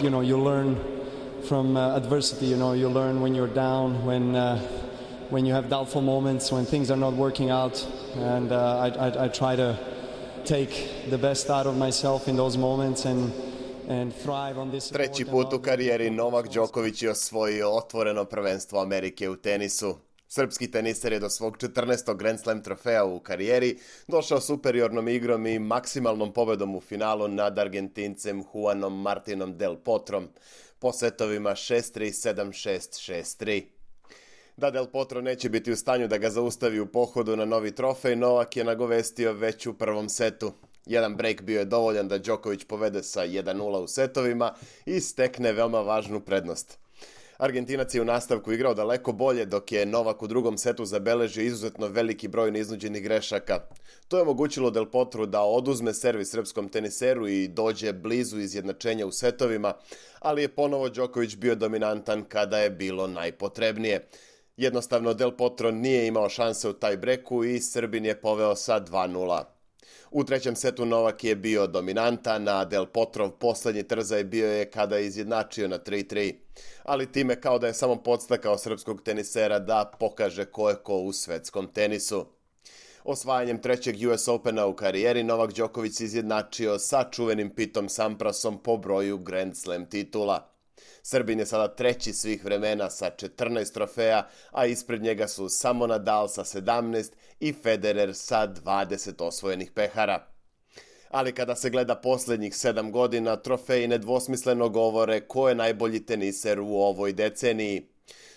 you learn from adversity. You learn when you're down, when you have doubtful moments, when things are not working out, and I try to take the best out of myself in those moments and thrive on this. Treći put u karijeri Novak Đoković je osvojio otvoreno prvenstvo Amerike u tenisu. Srpski teniser je do svog 14. Grand Slam trofeja u karijeri došao superiornom igrom i maksimalnom pobedom u finalu nad Argentincem Juanom Martinom Del Potrom po setovima 6-3, 7-6, 6-3. Da Del Potro neće biti u stanju da ga zaustavi u pohodu na novi trofej, Novak je nagovestio već u prvom setu. Jedan break bio je dovoljan da Đoković povede sa 1-0 u setovima i stekne veoma važnu prednost. Argentinac je u nastavku igrao daleko bolje, dok je Novak u drugom setu zabeležio izuzetno veliki broj neiznuđenih grešaka. To je omogućilo Del Potru da oduzme servis srpskom teniseru i dođe blizu izjednačenja u setovima, ali je ponovo Đoković bio dominantan kada je bilo najpotrebnije. Jednostavno Del Potro nije imao šanse u taj breku i Srbin je poveo sa 2-0. U trećem setu Novak je bio dominantan, a Del Potrov poslednji trzaj bio je kada je izjednačio na 3-3. Ali time kao da je samo podstakao srpskog tenisera da pokaže ko je ko u svetskom tenisu. Osvajanjem trećeg US Opena u karijeri Novak Đoković se izjednačio sa čuvenim Pitom Samprasom po broju Grand Slam titula. Srbin je sada treći svih vremena sa 14 trofeja, a ispred njega su samo Nadal sa 17 i Federer sa 20 osvojenih pehara. Ali kada se gleda posljednjih 7 godina, trofeji nedvosmisleno govore ko je najbolji teniser u ovoj deceniji.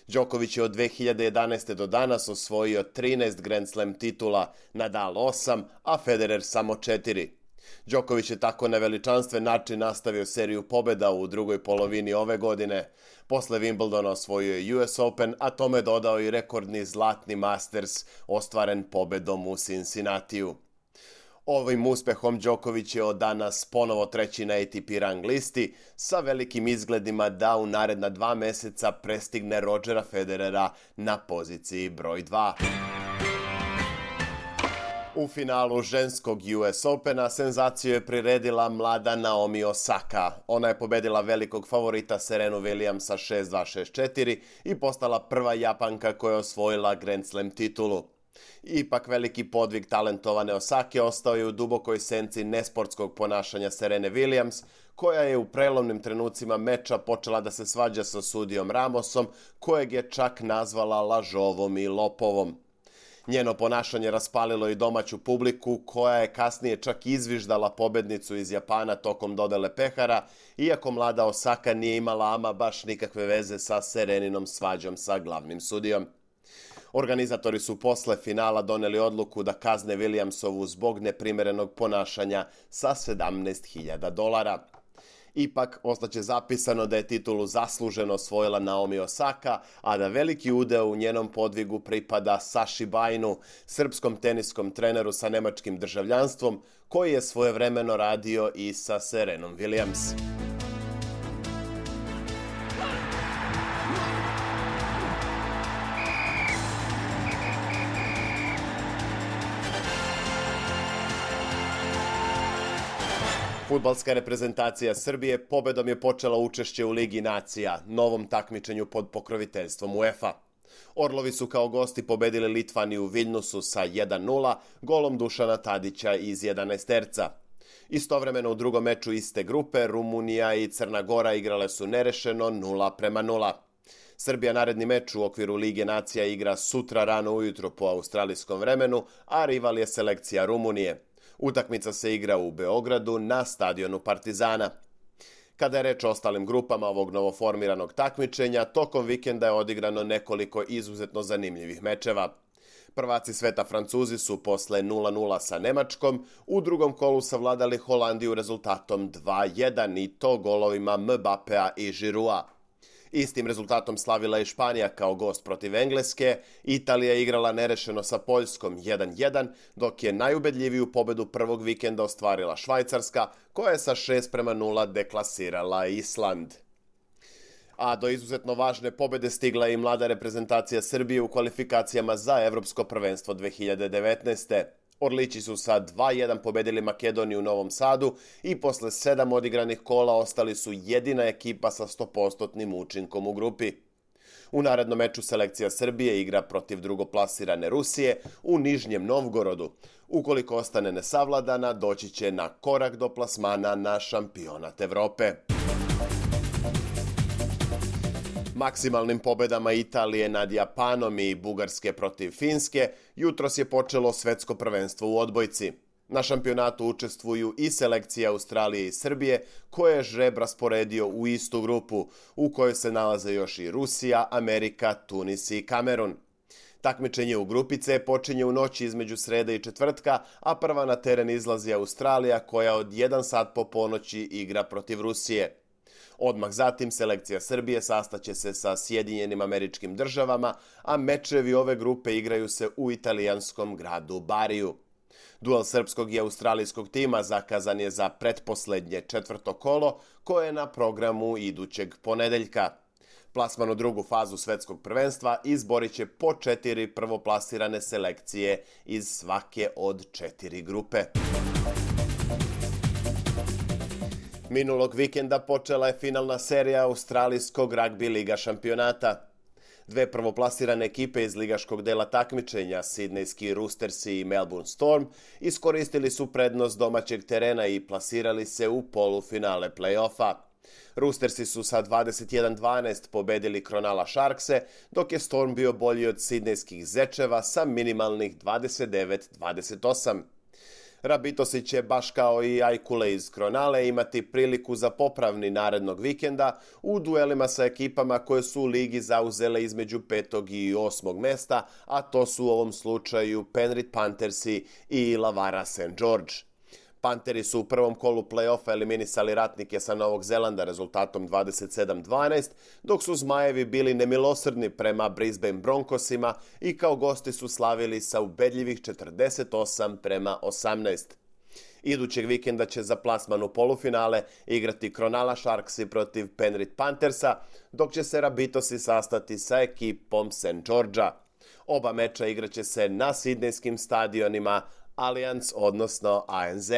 Đoković je od 2011. do danas osvojio 13 Grand Slam titula, Nadal 8, a Federer samo 4. Đoković je tako na veličanstven način nastavio seriju pobjeda u drugoj polovini ove godine. Posle Wimbledona osvojio je US Open, a tome dodao i rekordni zlatni Masters ostvaren pobedom u Cincinnatiju. Ovim uspehom Đoković je od danas ponovo treći na ATP rang listi sa velikim izgledima da u naredna 2 meseca prestigne Rodgera Federera na poziciji broj 2. U finalu ženskog US Opena senzaciju je priredila mlada Naomi Osaka. Ona je pobedila velikog favorita Serenu Williamsa 6-2, 6-4 i postala prva Japanka koja je osvojila Grand Slam titulu. Ipak veliki podvig talentovane Osake ostao je u dubokoj senci nesportskog ponašanja Serene Williams, koja je u prelomnim trenucima meča počela da se svađa sa sudijom Ramosom, kojeg je čak nazvala lažovom i lopovom. Njeno ponašanje raspalilo i domaću publiku, koja je kasnije čak izviždala pobednicu iz Japana tokom dodele pehara, iako mlada Osaka nije imala ama baš nikakve veze sa Sereninom svađom sa glavnim sudijom. Organizatori su posle finala doneli odluku da kazne Williamsovu zbog neprimerenog ponašanja sa $17.000. Ipak, ostaće zapisano da je titulu zasluženo osvojila Naomi Osaka, a da veliki udeo u njenom podvigu pripada Saši Bajnu, srpskom teniskom treneru sa nemačkim državljanstvom, koji je svojevremeno radio i sa Serenom Williams. Fudbalska reprezentacija Srbije pobedom je počela učešće u Ligi nacija, novom takmičenju pod pokroviteljstvom UEFA. Orlovi su kao gosti pobedili Litvaniju u Viljnusu sa 1-0, golom Dušana Tadića iz 11-terca. Istovremeno u drugom meču iste grupe, Rumunija i Crna Gora igrale su nerešeno 0-0. Srbija naredni meč u okviru Lige nacija igra sutra rano ujutro po australijskom vremenu, a rival je selekcija Rumunije. Utakmica se igra u Beogradu na stadionu Partizana. Kada je reč o ostalim grupama ovog novoformiranog takmičenja, tokom vikenda je odigrano nekoliko izuzetno zanimljivih mečeva. Prvaci sveta Francuzi su posle 0-0 sa Nemačkom u drugom kolu savladali Holandiju rezultatom 2-1 i to golovima Mbapea i Giroua. Istim rezultatom slavila je Španija kao gost protiv Engleske, Italija je igrala nerešeno sa Poljskom 1-1, dok je najubedljiviju pobedu prvog vikenda ostvarila Švajcarska, koja je sa 6-0 deklasirala Island. A do izuzetno važne pobede stigla je i mlada reprezentacija Srbije u kvalifikacijama za Evropsko prvenstvo 2019. Orlići su sa 2:1 pobedili Makedoniju u Novom Sadu i posle 7 odigranih kola ostali su jedina ekipa sa 100% učinkom u grupi. U narednom meču selekcija Srbije igra protiv drugoplasirane Rusije u Nižnjem Novgorodu. Ukoliko ostane nesavladana, doći će na korak do plasmana na šampionat Evrope. Maksimalnim pobedama Italije nad Japanom i Bugarske protiv Finske jutros je počelo svetsko prvenstvo u odbojci. Na šampionatu učestvuju i selekcije Australije i Srbije, koje je žreb rasporedio u istu grupu, u kojoj se nalaze još i Rusija, Amerika, Tunis i Kamerun. Takmičenje u grupi C počinje u noći između srede i četvrtka, a prva na teren izlazi Australija, koja od 1 sat po ponoći igra protiv Rusije. Odmah zatim selekcija Srbije sastaće se sa Sjedinjenim Američkim Državama, a mečevi ove grupe igraju se u italijanskom gradu Bariju. Duel srpskog i australijskog tima zakazan je za pretposlednje četvrto kolo, koje je na programu idućeg ponedeljka. Plasman u drugu fazu svetskog prvenstva izborit će po 4 prvoplasirane selekcije iz svake od 4 grupe. Minulog vikenda počela je finalna serija australijskog ragbi liga šampionata. Dve prvoplasirane ekipe iz ligaškog dela takmičenja, Sidnejski Roostersi i Melbourne Storm, iskoristili su prednost domaćeg terena i plasirali se u polufinale play-offa. Roostersi su sa 21-12 pobedili Cronulla Sharkse, dok je Storm bio bolji od Sidnejskih Zečeva sa minimalnih 29-28. Rabitosi će, baš kao i Ajkule iz Kronale, imati priliku za popravni narednog vikenda u duelima sa ekipama koje su u ligi zauzele između 5. i 8. mesta, a to su u ovom slučaju Penrith Panthersi i Illawarra St. George. Panteri su u prvom kolu play-offa eliminisali Ratnike sa Novog Zelanda rezultatom 27-12, dok su Zmajevi bili nemilosrdni prema Brisbane Broncosima i kao gosti su slavili sa ubedljivih 48-18. Idućeg vikenda će za plasman u polufinale igrati Cronulla Sharksi protiv Penrith Panthersa, dok će se Rabitosi sastati sa ekipom St. Georgea. Oba meča igraće se na sidnejskim stadionima Allianz, odnosno ANZ.